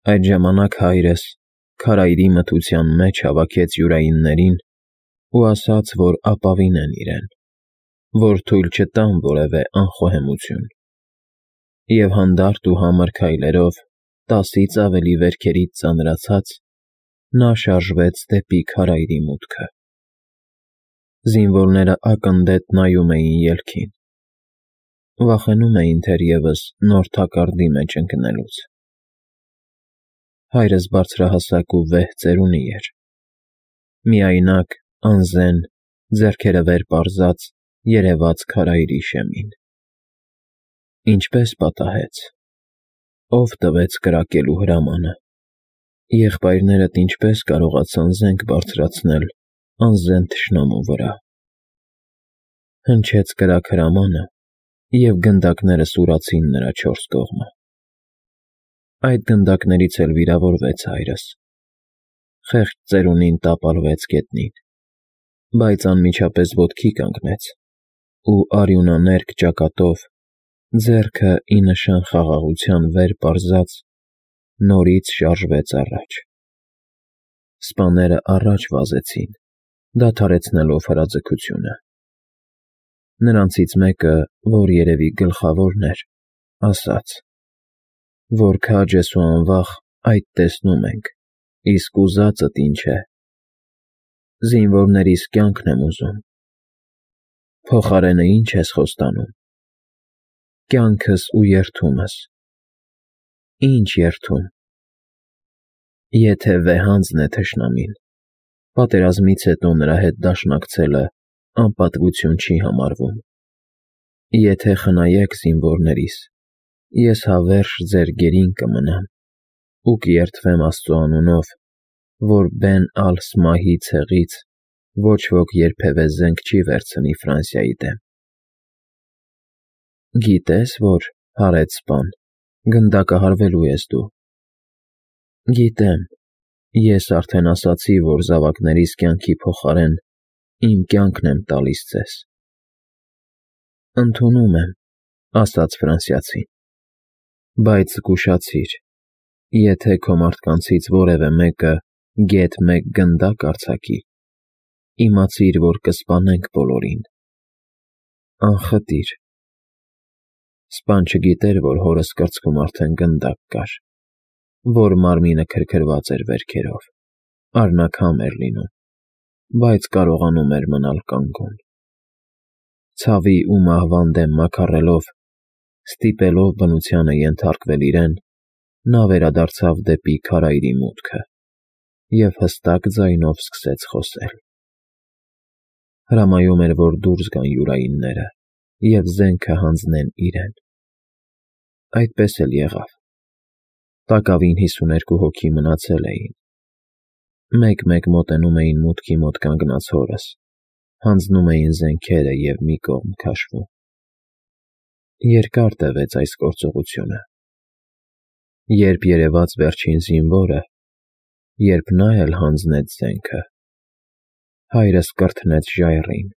Այդ ժամանակ հայրս քարայրի մթության մեջ հավաքեց յուրայիններին ու ասաց, որ ապավինեն իրեն, որ թույլ չտան որևէ անխոհեմություն, և հանդարտ ու համր քայլերով 10-ից ավելի վերքերից ծանրացած նա շարժվեց դեպի քարայրի մուտքը։ Զինվորները ակնդետ նայում էին ելքին, վախենում էին թերևս նոր թակարդի մեջ ընկնելուց։ Հայրս բարձրահասակ ու վեհ ծերունի էր, միայնակ, անզեն, ձեռքերը վեր պարզած երևաց քարայրի շեմին։ Ինչպե՞ս պատահեց, ով տվեց կրակելու հրամանը, եղբայրներդ ինչպե՞ս կարողացան զենք բարձրացնել անզեն թշնամու վրա։ Հնչեց կրակ-հրամանը, և գնդակները սուրացին նրա 4 կողմը։ Այդ գնդակներից էլ վիրավորվեց հայրս, խեղճ ծերունին տապալվեց գետնին, բայց անմիջապես ոտքի կանգնեց ու արյունաներկ ճակատով, ձեռքը ի նշան խաղաղության վեր պարզած, նորից շարժվեց առաջ։ Սպաները առաջ վազեցին, դադարեցնելով հրաձգությունը։ Նրանցից մեկը, որ երևի գլխավորն էր, ասաց, որ քաջ ես ու անվախ այդ տեսնում ենք, իսկ ուզածդ ինչ է։ Զինվորներիս կյանքն եմ ուզում։ Փոխարենը ի՞նչ ես խոստանում։ Կյանքս ու երդումս։ Ի՞նչ երդում։ Եթե վեհանձն է թշնամին, պատերազմից հետո նրա հետ դաշնակցելը անպատվություն չի համարվում։ Եթե խնայեք զինվորներիս, ես հավերժ ձեր գերին կմնամ ու կերդվեմ Աստծո անունով, որ Բեն ալ-Սմահի ցեղից ոչ ոք երբևէ զենք չի վերցնի Ֆրանսիայի դեմ։ Գիտե՞ս, որ, հարետ սպան, գնդակահարվելու ես դու։ Գիտեմ, ես արդեն ասացի, որ զավակներիս կյանքի փոխարեն իմ կյանքն եմ տալիս ձեզ։ Ընդունում եմ, ասաց ֆրանսիացին, բայց զգուշացիր, եթե քո մարդկանցից որևէ մեկը գեթ մեկ գնդակ արձակի, իմացիր, որ կսպանենք բոլորին։ Անխտիր։ Սպան չգիտեր, որ հորս կրծքում արդեն գնդակ կար, որ մարմինը քրքրված էր վերքերով, արնաքամ էր լինում, բայց կարողանում էր մնալ կանգուն։ Ցավի ու մահվան դեմ մաքարելով, ստիպելով բնությանը ենթարկվել իրեն, նա վերադարձավ դեպի քարայրի մուտքը և հստակ ձայնով սկսեց խոսել։ Հրամայում էր, որ դուրս գան յուրայինները և զենքը հանձնեն իրեն։ Այդպես էլ եղավ։ Տակավին 52 հոգի մնացել էին։ Մեկ-մեկ մոտենում էին մուտքի մոտ կանգնած հորս, հանձնում էին զենքերը և մի կողմ քաշվում։ Երկար տևեց այս գործողությունը։ Երբ երևաց վերջին զինվորը, երբ նա էլ հանձնեց զենքը, հայրս կրթնեց ժայռին,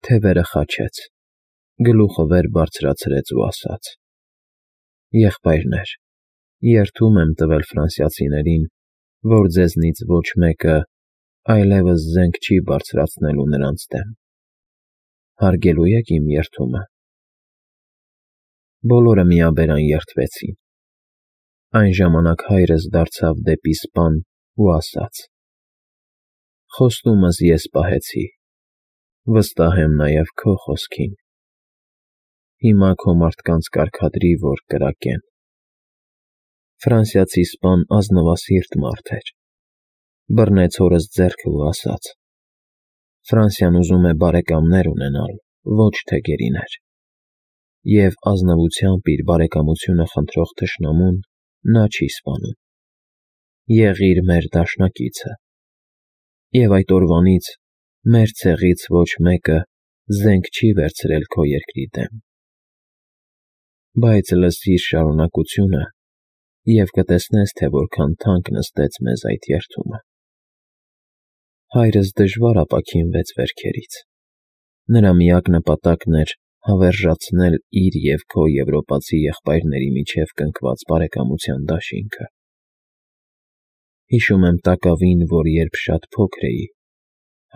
թևերը խաչեց, գլուխը վեր բարձրացրեց ու ասաց. «Եղբայրներ, երդում եմ տվել ֆրանսիացիներին, որ ձեզնից ոչ մեկը այլևս զենք չի բարձրացնելու նրանց դեմ։ Հարգելու եք իմ երդումը»։ Բոլորը միաբերան երդվեցին։ Այն ժամանակ հայրս դարձավ դեպի սպան ու ասաց. «Խոստումս ես պահեցի, վստահ եմ նաև քո խոսքին։ Հիմա քո մարդկանց կարգադրի, որ կրակեն»։ Ֆրանսիացի սպան ազնվասիրտ մարդ էր։ Բռնեց հորս ձեռքը ու ասաց. «Ֆրանսիան ուզում է բարեկամներ ունենալ, ոչ թե գերիներ, և ազնվությամբ իր բարեկամությունը խնդրող թշնամուն նա չի սպանում։ Եղիր մեր դաշնակիցը, և այդ օրվանից մեր ցեղից ոչ մեկը զենք չի վերցրել քո երկրի դեմ։ Բայց լսիր շարունակությունը և կտեսնես, թե որքան թանկ նստեց մեզ այդ երդումը»։ Հայրս դժվար ապաքինվեց վերքերից։ Նրա միակ նպատակն էր հավերժացնել իր և քո եվրոպացի եղբայրների միջև կնքված բարեկամության դաշինքը։ Հիշում եմ տակավին, որ երբ շատ փոքր էի,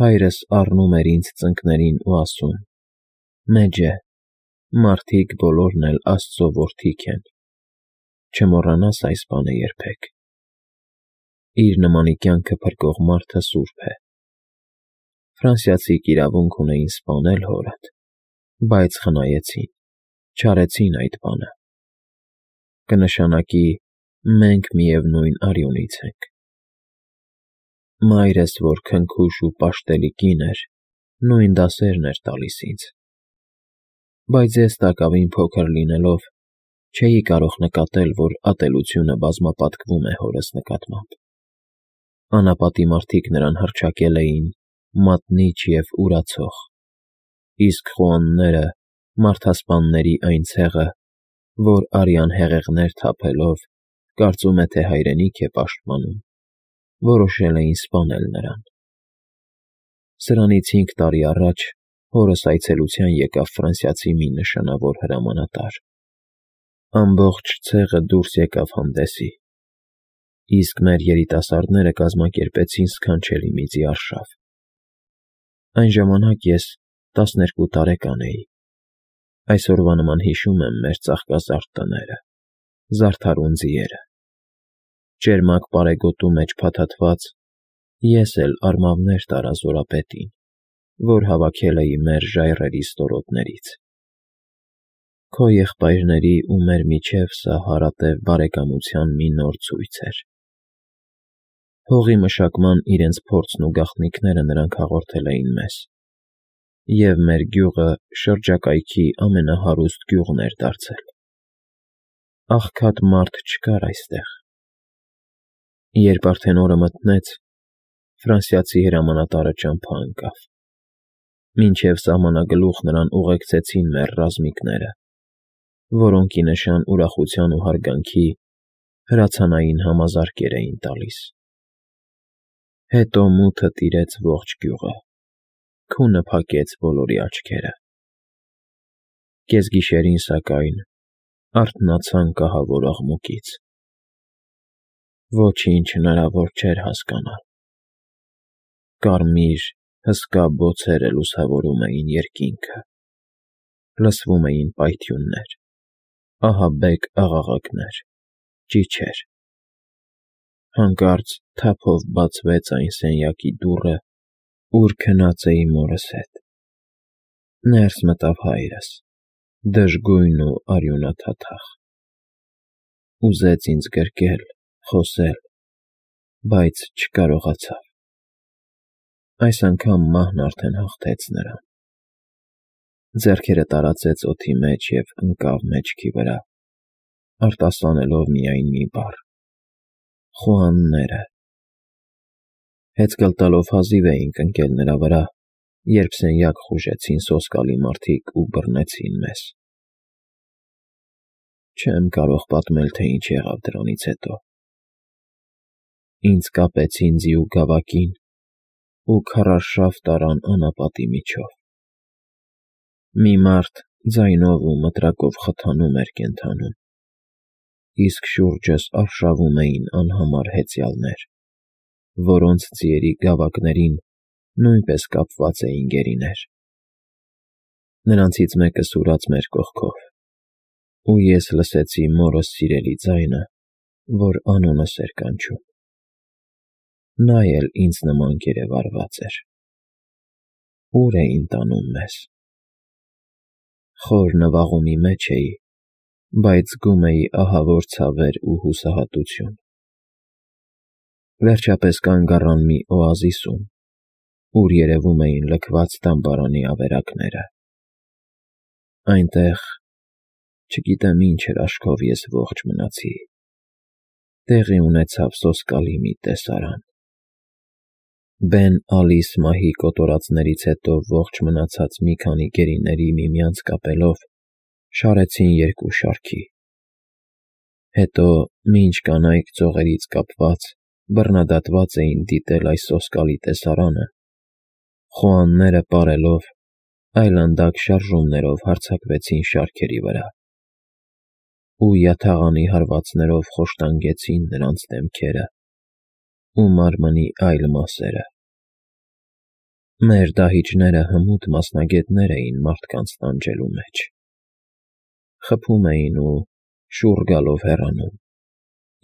հայրս առնում էր ինձ ծնկներին ու ասում. «Մեծ է, մարդիկ բոլորն էլ Աստծո որդիք են, չմոռանաս այս բանը երբեք»։ Իր նմանի կյանքը փրկող մարդը սուրբ է։ Ֆրանսիացիք իրավունք ունեին սպանել հորդ, բայց խնայեցին, չարեցին այդ բանը։ Կնշանակի մենք միևնույն արյունից ենք։ Մայրս, որ քնքուշ ու պաշտելի կին էր, նույն դասերն էր տալիս ինձ։ Բայց ես տակավին փոքր լինելով, չէի կարող նկատել, որ ատելությունը բազմապատկվում է հորս նկատմամբ։ Անապատի մարդիկ նրան հռչակել էին մատնիչ և ուրացող, իսկ խոհանները՝ մարդասպանների այն ցեղը, որ արյան հեղեղներ թափելով, կարծում է, թե հայրենիք է պաշտպանում, որոշել էին սպանել նրան։ Սրանից 5 տարի առաջ հորս այցելության եկավ ֆրանսիացի մի նշանավոր հրամանատար։ Ամբողջ ցեղը դուրս եկավ հանդեսի, իսկ մեր երիտասարդները կազմակերպեցին սքանչելի միծի արշավ։ Այն ժամանակ ես 12 տարեկան էի։ Այսօրվա նման հիշում եմ մեր ծաղկազարդ տները, զարդարուն ձիերը։ Ճերմակ պարեգոտու մեջ փաթաթված, ես էլ արմավներ տարա զորապետին, որ հավաքել էի մեր ժայռերի ստորոտներից։ Քո եղբայրների ու մեր միջև սա հարատև բարեկամության մի նոր ցույց էր։ Հողի մշակման իրենց փորձն ու գաղտնիքները նրանք հաղորդել էին մեզ, և մեր գյուղը շրջակայքի ամենահարուստ գյուղն էր դարձել։ Աղքատ մարդ չկար այստեղ։ Երբ արդեն օրը մթնեց, ֆրանսիացի հրամանատարը ճամփա ընկավ։ Մինչև սահմանագլուխ նրան ուղեկցեցին մեր ռազմիկները, որոնք ի նշան ուրախության ու հարգանքի հրացանային համազարկեր էին տալիս։ Հետո մութը տիրեց ողջ գյուղը, քունը փակեց բոլորի աչքերը։ Կեսգիշերին, սակայն, արթնացան կահավոր աղմուկից։ Ոչինչ հնարավոր չէր հասկանալ։ Կարմիր, հսկա բոցերը լուսավորում էին երկինքը։ Լսվում էին պայթյուններ, ահաբեկ աղաղակներ, ճիչեր։ Հանկարծ թափով բացվեց այն սենյակի դուռը, ուր քնած էի մորս հետ։ Ներս մտավ հայրս, դժգույն ու արյունաթաթախ։ Ուզեց ինձ գրկել, խոսել, բայց չկարողացավ։ Այս անգամ մահն արդեն հաղթեց նրան։ Ձեռքերը տարածեց օդի մեջ և ընկավ մեջքի վրա, արտասանելով միայն մի բառ. խոհանները։ Հեծկլ տալով հազիվ էինք ընկել նրա վրա, երբ սենյակ խուժեցին սոսկալի մարդիկ ու բռնեցին մեզ։ Չեմ կարող պատմել, թե ինչ եղավ դրանից հետո։ Ինձ կապեցին ձիու գավակին ու քարարշավ տարան անապատի միջով։ Մի մարդ ձայնով ու մտրակով խթանում էր կենդանում, իսկ շուրջս արշավում էին անհամար հեծյալներ, որոնց ձիերի գավակներին նույնպես կապված էին գերիներ։ Նրանցից մեկը սուրաց մեր կողքով, ու ես լսեցի մորս սիրելի ձայնը, որ անունս էր կանչում։ Նա էլ ինձ նման գերեվարված էր։ Ո՞ւր էին տանում մեզ։ Խոր նվաղումի մեջ էի, բայց զգում էի ահավոր ցավեր ու հուսահատություն։ Վերջապես կանգ առան մի օազիսում, ուր երևում էին լքված դամբարանի ավերակները։ Այնտեղ, չգիտեմ ինչ էր աշքով ես ողջ մնացի, տեղի ունեցավ սոսկալի մի տեսարան։ Բեն Ալիս մահի կոտորածներից հետո ողջ մնացած մի քանի գերիների միմյանց կապելով շարեցին երկու շարքի։ Հետո, մինչ կանայք ծողերից կապված, բռնադատված էին դիտել այս սոսկալի տեսարանը, խոհանները պարելով, այլանդակ շարժումներով հարձակվեցին շարքերի վրա ու յաթաղանի հարվածներով խոշտանգեցին նրանց դեմքերը, ու մարմնի այլ մասերը։ Մեր դահիճները հմուտ մասնագետներ էին մարդկանց տանջելու մեջ։ Խփում էին ու շուռ գալով հեռանում,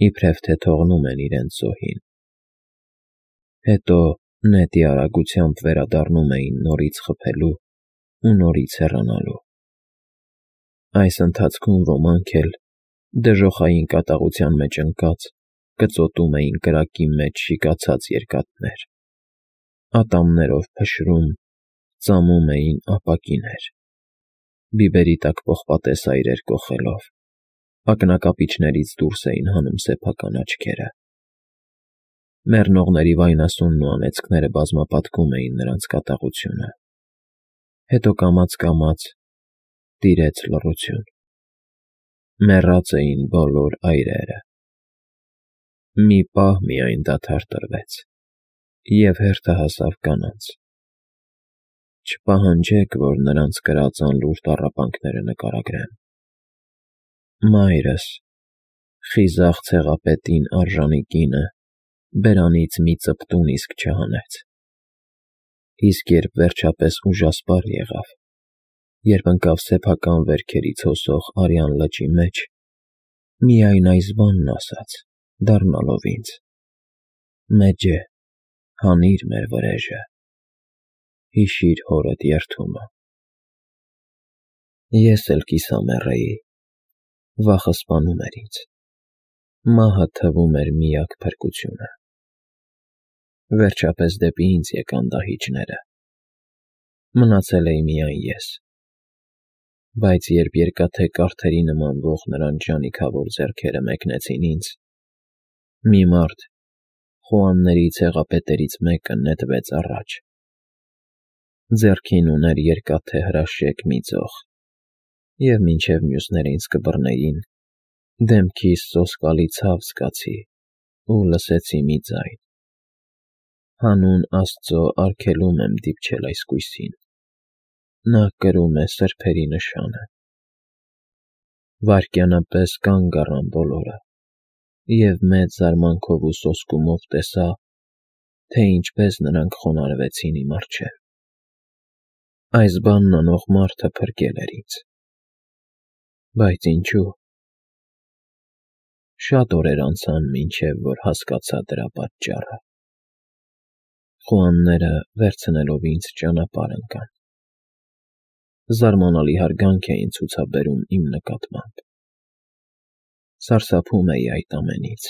իբրև թե թողնում են իրենց զոհին։ Հետո նետի արագությամբ վերադառնում էին նորից խփելու ու նորից հեռանալու։ Այս ընթացքում ոմանք էլ, դժոխային կատաղության մեջ ընկած, կծոտում էին կրակի մեջ շիկացած երկաթներ, ատամներով փշրում, ծամում էին ապակիներ, բիբերի տակ պողպատե սայրեր կոխելով, ակնակապիճներից դուրս էին հանում սեփական աչքերը։ Մեռնողների վայնասունն ու անեծքները բազմապատկում էին նրանց կատաղությունը։ Հետո կամաց տիրեց լռություն։ Մեռած էին բոլոր այրերը։ Մի պահ միայն դադար տրվեց, և հերթը հասավ կանանց։ Չպահանջեք, որ նրանց կրած անլուր տառապանքները նկարագրեմ։ Մայրս, խիզախ ցեղապետին արժանի կինը, բերանից մի ծպտուն իսկ չհանեց։ Իսկ երբ վերջապես ուժասպառ եղավ, երբ ընկավ սեփական վերքերից հոսող արյան լճի մեջ, միայն այս բանն ասաց, դառնալով ինձ. «Մեջե, հանիր մեր վրեժը, հիշիր հորդ երդումը»։ Ես էլ կիսամեռ էի, վախը սպանում էր ինձ, մահը թվում էր միակ փրկությունը։ Վերջապես դեպի ինձ եկան դահիճները։ Մնացել էի միայն ես։ Բայց երբ երկաթե կարթերի նմանվող նրանց ժանիքավոր ձեռքերը մեկնեցին ինձ, մի մարդ, խոհանների ցեղապետերից մեկը, նետվեց առաջ։ Ձեռքին ուներ երկաթե հրաշեկ մի ձող, և մինչև մյուսները ինձ կբռնեին, դեմքիս սոսկալի ցավ զգացի ու լսեցի մի ձայն. «Հանուն Աստծո արգելում եմ դիպչել այսկույսին, նա կրում է սրբերի նշանը»։ Վայրկյանապես կանգ առան բոլորը, և մեծ զարմանքով ու սոսկումով տեսա, թե ինչպես նրանք խոնարհվեցին իմ առջև։ Այս բանն անող մարդը փրկել էր ինձ։ Բայց ինչու՞։ Շատ օրեր անցան, մինչև որ հասկացա դրա պատճառը։ Խոհանները, վերցնելով ինձ, ճանապարհ ընկան։ Զարմանալի հարգանք էին ցուցաբերում իմ նկատմամբ։ Սարսափում էի այդ ամենից,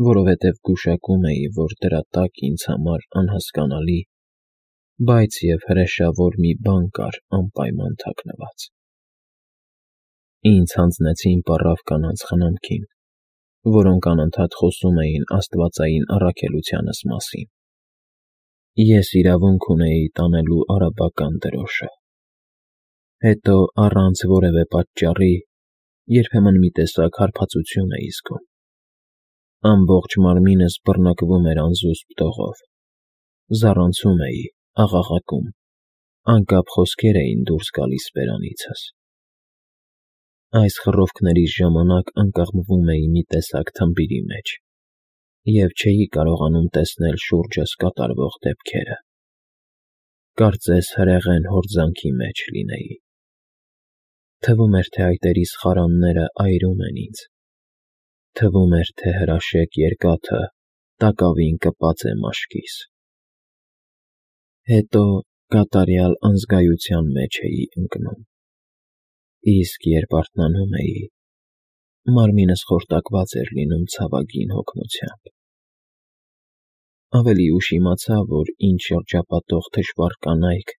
որովհետև գուշակում էի, որ դրա տակ ինձ համար անհասկանալի, բայց և հրեշավոր մի բան կար անպայման թաքնված։ Ինձ հանձնեցին պառավ կանանց խնամքին, որոնք անընդհատ խոսում էին աստվածային առաքելությանս մասին։ Ես իրավունք ունեի տանելու արաբական դրոշը։ Հետո, առանց որևէ պատճառի, երբեմն մի տեսակ հարբածություն էի զգում։ Ամբողջ մարմինս բռնկվում էր անզուսպ դողով։ Զառանցում էի, աղաղակում, անկապ խոսքեր էին դուրս գալիս բերանիցս։ Այս խռովքներիս ժամանակ ընկղմվում էի մի տեսակ թմբիրի մեջ և չէի կարողանում տեսնել շուրջս կատարվող դեպքերը։ Կարծես հրեղեն հորձանքի մեջ լինեի։ Թվում էր, թե այտերիս խարանները այրում են ինձ։ Թվում էր, թե հրաշեկ երկաթը տակավին կպած է մաշկիս։ Հետո կատարյալ անզգայության մեջ էի ընկնում։ Իսկ երբ արթնանում էի, մարմինս խորտակված էր լինում ցավագին հոգնությամբ։ Ավելի ուշ իմացա, որ ինչ շրջապատող թշվառ կանայք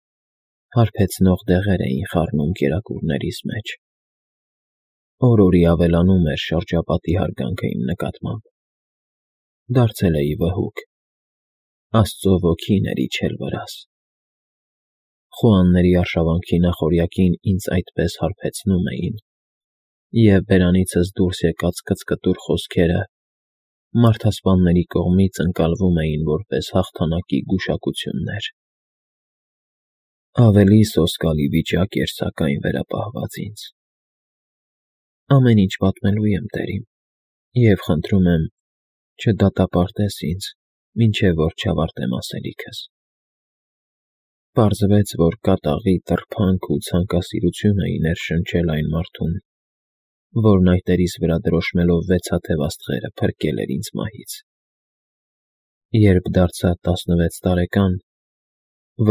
հարբեցնող դեղեր էին խառնում կերակուրներիս մեջ։ Օր-օրի ավելանում էր շրջապատի հարգանքը իմ նկատմամբ։ Դարձել էի վհուկ։ Աստծո ոգին էր իջել վրաս։ Խոհանների արշավանքի նախօրյակին ինձ այդպես հարբեցնում էին, և բերանիցս դուրս եկած կծկտուր խոսքերը մարդասպանների կողմից ընկալվում էին որպես հաղթանակի գուշակություններ։ Ավելի սոսկալի վիճակ էր սակայն վերապահված ինձ։ Ամեն ինչ պատմելու եմ, տերիմ, և խնդրում եմ, Չդատապարտես ինձ, մինչև որ չավարտեմ ասելիքս։ Պարզվեց, որ կատաղի տրփանք ու ցանկասիրություն էի ներշնչել այն մարդուն, որն այտերիս վրա դրոշմելով վեցաթև աստղերը փրկել էր ինձ մահից։ Երբ դարձա 16 տարեկան,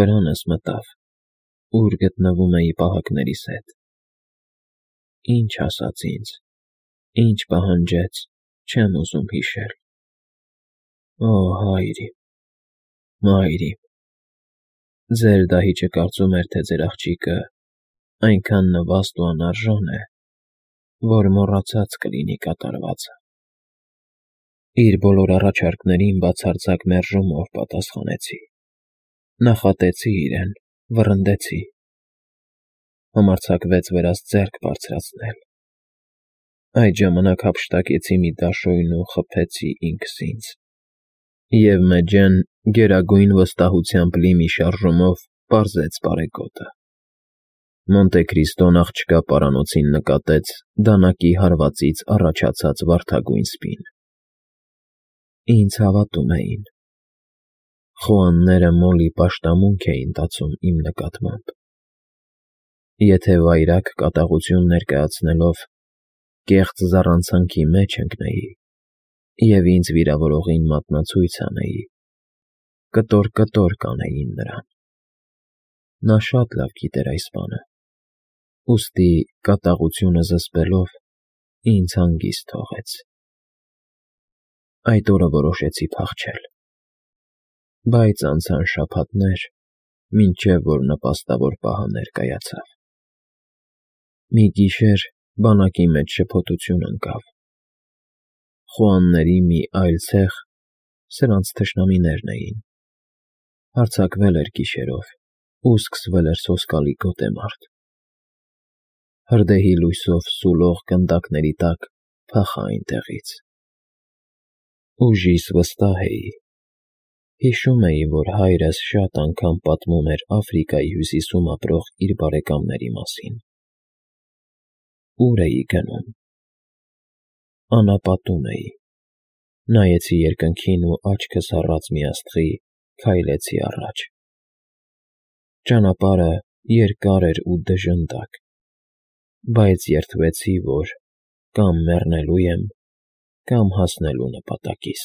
վրանս մտավ, ուր գտնվում էի պահակներիս հետ։ Ինչ ասաց ինձ, ինչ պահանջեց, չեմ ուզում հիշել։ Օ, հայր իմ, մայր իմ, ձեր դահիճը կարծում էր, թե ձեր աղջիկը այնքան նվաստ ու անարժան է, որ մոռացած կլինի կատարվածը։ Իր բոլոր առաջարկներին բացարձակ մերժումով պատասխանեցի։ Նախատեցի իրեն, վռնդեցի։ Համարձակվեց վերած ձեռք բարձրացնել։ Այդ ժամանակ հափշտակեցի մի դաշույն ու խփեցի ինքս ինձ։ Եվ մեջեն գերագույն վստահությամբ լի մի շարժումով պարզեց բարեգոտը։ Մոնտե Քրիստոն աղջկա պարանոցին նկատեց դանակի հարվածից առաջացած վարդագույն սպին։ Ինձ հավատում էին։ Խոհանները մոլի պաշտամունք էին տածում իմ նկատմամբ։ Եթե վայրագ կատաղություն ներկայացնելով կեղծ զառանցանքի մեջ ընկնեի և ինձ վիրավորողին մատնացույց անեի, կտոր կանեին նրան։ Նա շատ լավ գիտեր այս բանը, ուստի կատաղությունը զսպելով ինձ հանգիստ թողեց։ Այդ օրը որոշեցի փախչել։ Բայց անցան շաբաթներ, մինչև որ նպաստավոր պահը ներկայացավ։ Մի գիշեր բանակի մեջ շփոթություն ընկավ։ Խոհանների մի այլ ցեխ, սրանց թշնամիներն էին, հարձակվել էր գիշերով ու սկսվել էր սոսկալի գոտեմարտ։ Հրդեհի լույսով սուլող գնդակների տակ փախա այնտեղից։ Ուժիս վստահ էի։ Հիշում էի, որ հայրս շատ անգամ պատմում էր Աֆրիկայի հյուսիսում ապրող իր բարեկամների մասին։ Ուր էի գնում։ Անապատում էի։ Նայեցի երկնքին ու աչքս առած մի աստղի քայլեցի առաջ։ Ճանապարհը երկար էր ու դժնդակ, բայց երդվեցի, որ կամ մեռնելու եմ, կամ հասնելու նպատակիս։